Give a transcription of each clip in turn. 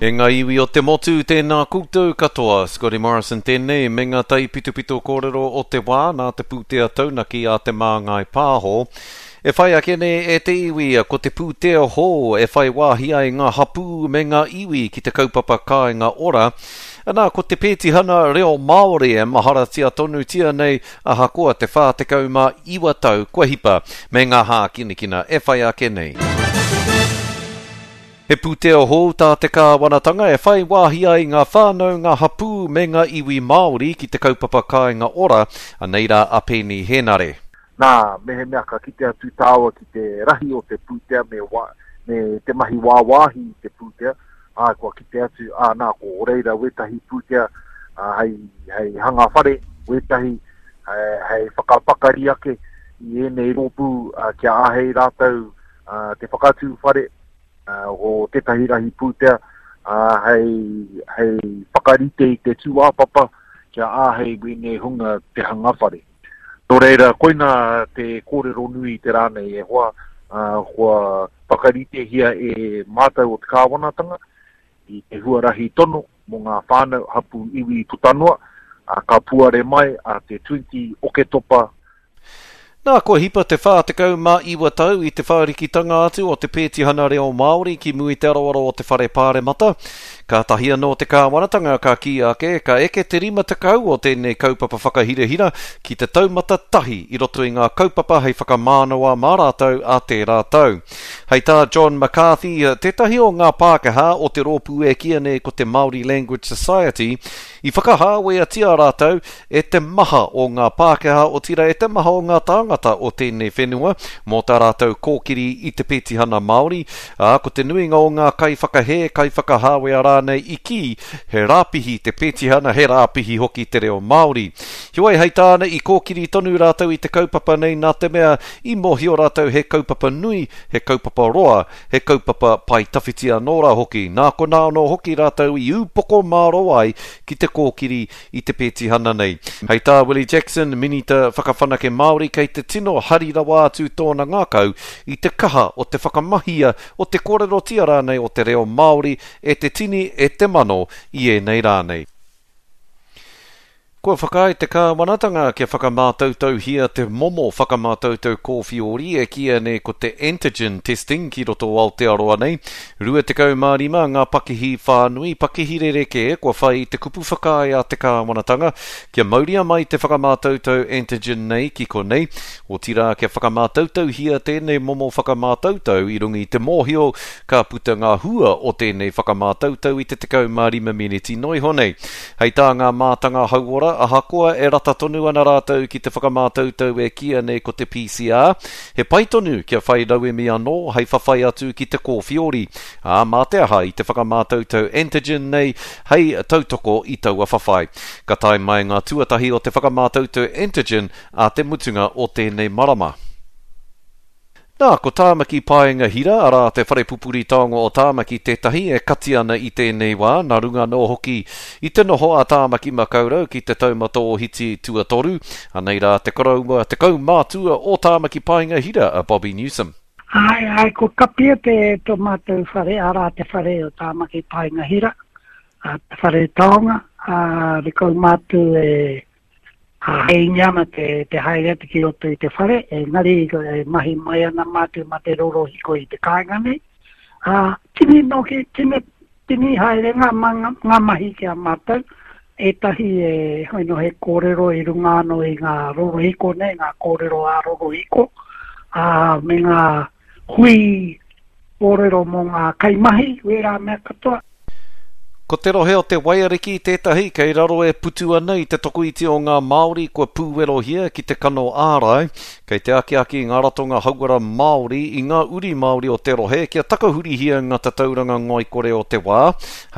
E ngā iwi o te motu, tēnā koutou katoa. Scotty Morrison tēnei, me ngā taipitopito kōrero o te wā nā te pūtea taunaki a Te Māngai Pāho. E whai ake nei e te iwi, ko te pūtea hou e whai wāhi ai ngā hapū me ngā iwi ki te kaupapa Kāinga Ora. Anā, ko te pētihana reo Māori e maharatia tonutia nei ahakoa te 49 tau kua hipa, me ngā hākinakina e whai ake nei. He pūtea hou tā te kāwanatanga e whai wāhi ai ngā whānau, ngā hapū me ngā iwi Māori ki te kaupapa Kāinga Ora, anei rā a Peeni Hēnare. Nā, mehemea ka kite atu tāua ki te rahi o te pūtea me, wa, me te mahi wāwāhi i te pūtea, ā, kua kite atu, ā, nā, ko reira wētahi pūtea ā, hei, hei hanga whare, wētahi hei whakapakari ake i ēnei rōpū ā, kia āhei rātou ā, te whakatū whare, o tētahi rahi pūtea hei, hei whakarite i te tūāpapa kia āhei wēnei hunga te hanga whare. Nō reira, koina te kōrero nui i te rā nei e hoa, kua whakaritehia e mātou o te kāwanatanga i te huarahi tono mō ngā whānau, hapū, iwi puta noa, ka puare mai a te 20 Oketopa Nā, kua hipa te 49 tau i te whārikitanga atu o te pētihana reo Māori ki mua i te aroaro o te Whare Pāremata. Kātahi anō te kāwanatanga ka kī ake, ka eke te 50 o tēnei kaupapa whakahirahira ki te taumata tahi i roto i ngā kaupapa hei whakamānawa mā rātou ā tērā tau. Hei tā John McCarthy, tētahi o ngā Pākehā o te rōpū e kīia nei ko te Māori Language Society, I whakahāweatia rātou e te maha o ngā Pākehā, otirā e te maha o ngā tāngata o tēnei whenua mō tā rātou kōkiri i te petihana Māori, ā, ko te nuinga o ngā kaiwhakahē, kaiwhakahāwea rānei i kī he rāpihi te petihana, he rāpihi hoki te reo Māori. Heoi, hei tāna, i kōkiri tonu rātou i te kaupapa nei nā te mea i mōhio rātou he kaupapa nui, he kaupapa roa, He kaupapa pae tawhiti anō rā hoki, nā konā anō hoki rātou i ūpoko mārō ai ki te kōkiri i te pētihana nei. Hei tā Willie Jackson, Minita Whakawhanake Māori, kei te tino hari rawa atu tōna ngākau i te kaha o te whakamahia, o te kōrerotia rānei o te reo Māori e te tini, e te mano i ēnei rā nei. Kua whakaae te kāwanatanga kia whakamātautauhia te momo whakamātautau kōwhiori e kīia nei ko te antigen testing ki roto o Aotearoa nei. 25 ngā pakihi whānui, pakihi rerekē kua whai i te kupu whakaae a te kāwanatanga kia mauria mai te whakamātautau antigen nei ki konei, otirā kia whakamātautauhia tēnei momo whakamātautau i runga i te mōhio ka puta ngā hua o tēnei whakamātautau i te 15 meneti noa iho nei. Hei tā ngā mātanga hauora, ahakoa e rata tonu ana rātou ki te whakamātautau e kīia nei ko te PCR, he pai tonu kia whai rauemi anō hei whawhai atu ki te kōwhiori, ā, mā te aha i te whakamātautau antigen nei hei tautoko i taua whawhai. Ka tae mai ngā tuatahi o te whakamātautau antigen ā te mutunga o tēnei marama. Nā, ko Tāmaki Paenga Hira, arā, te whare pupuri taonga o Tāmaki tētahi e kati ana i tēnei wā, nā runga anō hoki i te noho a Tāmaki Makaurau ki te taumata ōhiti tuatoru. Anei rā te koroua, te kaumātua o Tāmaki Paenga Hira, a Bobby Newsome. Āe, āe, kua kapia te tō mātou whare, arā, te whare o Tāmaki Paenga Hira, te whare taonga, ā, te kaumātua e Āheingia ana te, te haere atu ki roto i te whare, engari e mahi mai ana mātou mā te rorohiko i te kāinga nei. Ā, tini noki, tini, tini haere ngā, ngā mahi ki a mātou, ētahi e, hoi no he kōrero i runga anō i ngā rorohiko nei, ngā kōrero ā-rorohiko, ā, me ngā hui kōrero mō ngā kaimahi, wērā mea katoa. Ko te rohe o te Waiariki tētahi kei raro e putu ana i te tokoiti o ngā Māori kua pūwerohia ki te kano ārai. Kei te akiaki ngā ratonga hauora Māori i ngā uri Māori o te rohe kia takahurihia ngā tatauranga ngoikore o te wā.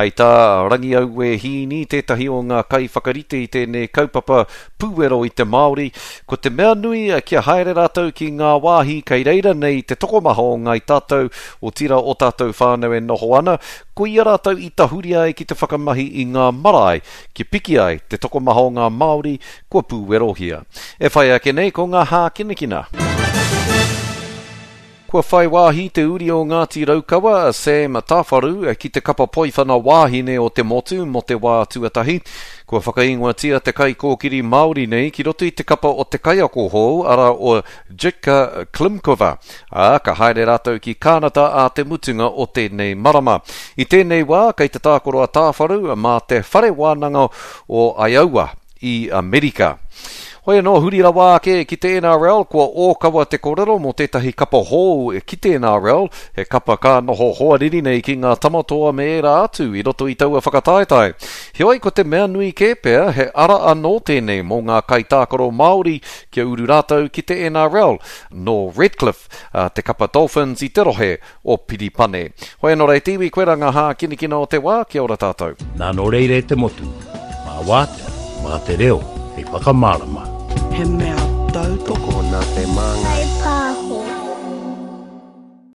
Hei tā Rangiaue Hiini, tētahi o ngā kaiwhakarite i tēnei kaupapa pūwero i te Māori, ko te mea nui kia haere rātou ki ngā wāhi kei reira nei te tokomaha o ngāi tātou, otirā o tātou whānau e noho ana, koia rātou i tahuri ai ki te whakamahi i ngā marae kia piki ai te tokomaha o ngā Māori kua pūwerohia. E whai ake nei ko ngā hākinakina. Kua whai wāhi te uri o Ngāti Raukawa, a Sam Tawharu, ki te kapa poiwhana wāhine o te motu mō te wā tuatahi. Kua whakaingoatia te kaikōkiri Māori nei ki roto i te kapa o te kaiako hou, arā o Jitka Klimkova, ā, ka haere rātou ki Kānata ā te mutunga o tēnei marama. I tēnei wā, kei te tākaro a Tawharu mā te Whare Wānanga o Iowa i Amerika. Hoi anō, huri rawa ake ki te NRL, kua ōkawa te korero mō tētahi kapa hou ki te NRL, he kapa ka noho hoariri nei ki ngā Tamatoa me ērā atu i roto i taua whakataetae. Heoi, ko te mea nui kē pea, he ara anō tēnei mō ngā kaitākaro Māori kia uru rātou ki te NRL. Nō Redcliffe te kapa Dolphins i te rohe o Piripane. Hoi anō rei te iwi, koirā ngā hākinakina o te wā, kia ora tātou. Nā nō reira e te motu, mā wātea, mā te reo hei whakamārama. He mea tautoko nā te māngai.